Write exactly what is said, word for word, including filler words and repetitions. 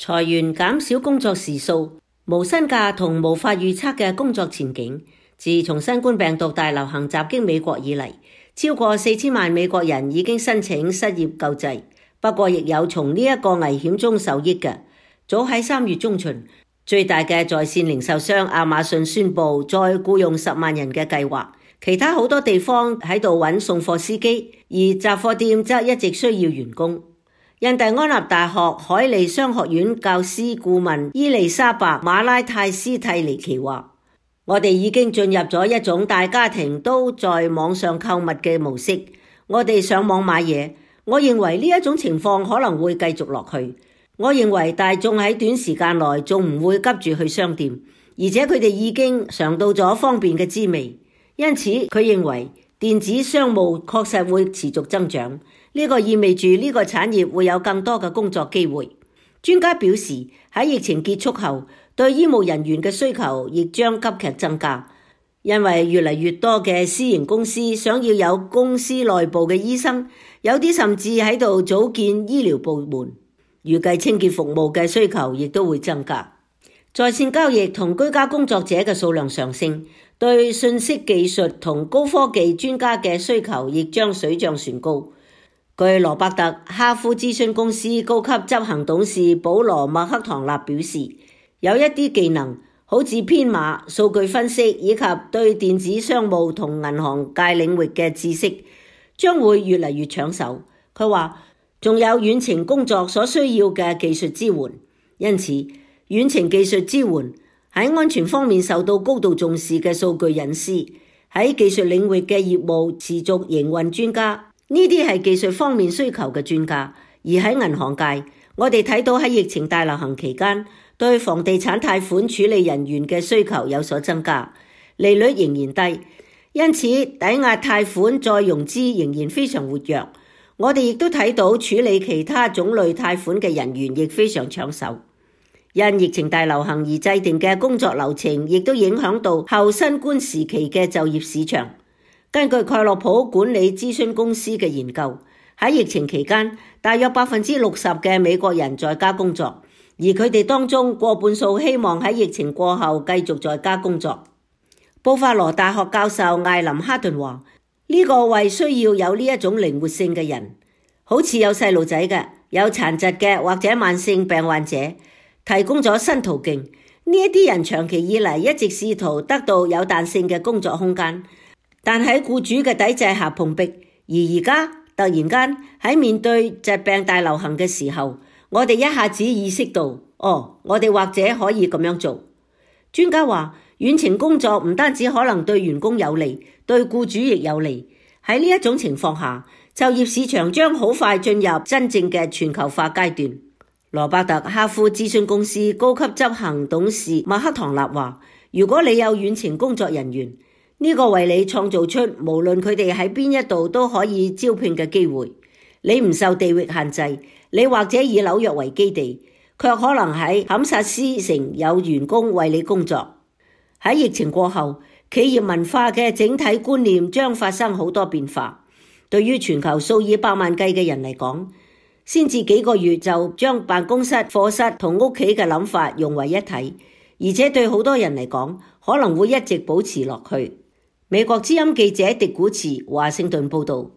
裁員、減少工作時數、無薪假同無法預測嘅工作前景。自從新冠病毒大流行襲擊美國以嚟，超過四千萬美國人已經申請失業救濟。不過亦有從呢一個危險中受益嘅。早喺三月中旬，最大嘅在線零售商亞馬遜宣布再僱用十萬人嘅計劃。其他好多地方喺度揾送貨司機，而雜貨店則一直需要員工。印第安納大學海利商學院教師顧問伊麗莎白馬拉泰斯蒂尼奇話：我哋已經進入咗一種大家庭都在網上購物嘅模式。我哋上網買嘢，我認為呢一種情況可能會繼續落去。我認為大眾喺短時間內仲唔會急住去商店，而且佢哋已經嘗到咗方便嘅滋味。因此佢認為電子商務確實會持續增長。呢個意味住呢個產業會有更多嘅工作機會。專家表示，喺疫情結束後，對醫務人員嘅需求亦將急劇增加，因為越嚟越多嘅私營公司想要有公司內部嘅醫生，有啲甚至喺度組建醫療部門。預計清潔服務嘅需求亦都會增加。在線交易同居家工作者嘅數量上升，對信息技術同高科技專家嘅需求亦將水漲船高。據羅伯特哈夫諮詢公司高級執行董事保羅麥克唐納表示，有一啲技能，好似編碼、數據分析以及對電子商務同銀行界領域嘅知識，將會越嚟越搶手。佢話仲有遠程工作所需要嘅技術支援，因此遠程技術支援喺安全方面受到高度重視嘅數據隱私，喺技術領域嘅業務持續營運專家。呢啲係技術方面需求嘅專家，而喺銀行界，我哋睇到喺疫情大流行期間，對房地產貸款處理人員嘅需求有所增加，利率仍然低，因此抵押貸款再融資仍然非常活躍。我哋亦都睇到處理其他種類貸款嘅人員亦非常搶手。因疫情大流行而制定嘅工作流程，亦都影響到後新冠時期嘅就業市場。根據蓋洛普管理諮詢公司嘅研究，喺疫情期間，大約百分之六十嘅美國人在家工作，而佢哋當中過半數希望喺疫情過後繼續在家工作。布法羅大學教授艾林哈頓話：呢個為需要有呢一種靈活性嘅人，好似有細路仔嘅、有殘疾嘅或者慢性病患者，提供咗新途徑。呢一啲人長期以嚟一直試圖得到有彈性嘅工作空間，但喺僱主嘅抵制下碰壁，而而家突然間喺面對疾病大流行嘅時候，我哋一下子意識到，哦，我哋或者可以咁樣做。專家話，遠程工作唔單止可能對員工有利，對僱主亦有利。喺呢一種情況下，就業市場將好快進入真正嘅全球化階段。羅伯特哈夫諮詢公司高級執行董事麥克唐納話，如果你有遠程工作人員，呢個為你創造出無論佢哋喺邊一度都可以招聘嘅機會。你唔受地域限制，你或者以紐約為基地，卻可能喺堪薩斯城有員工為你工作。喺疫情過後，企業文化嘅整體觀念將發生好多變化。對於全球數以百萬計嘅人嚟講，先至幾個月就將辦公室、課室同屋企嘅諗法融為一體，而且對好多人嚟講，可能會一直保持落去。美國之音記者狄古茨華盛頓報道。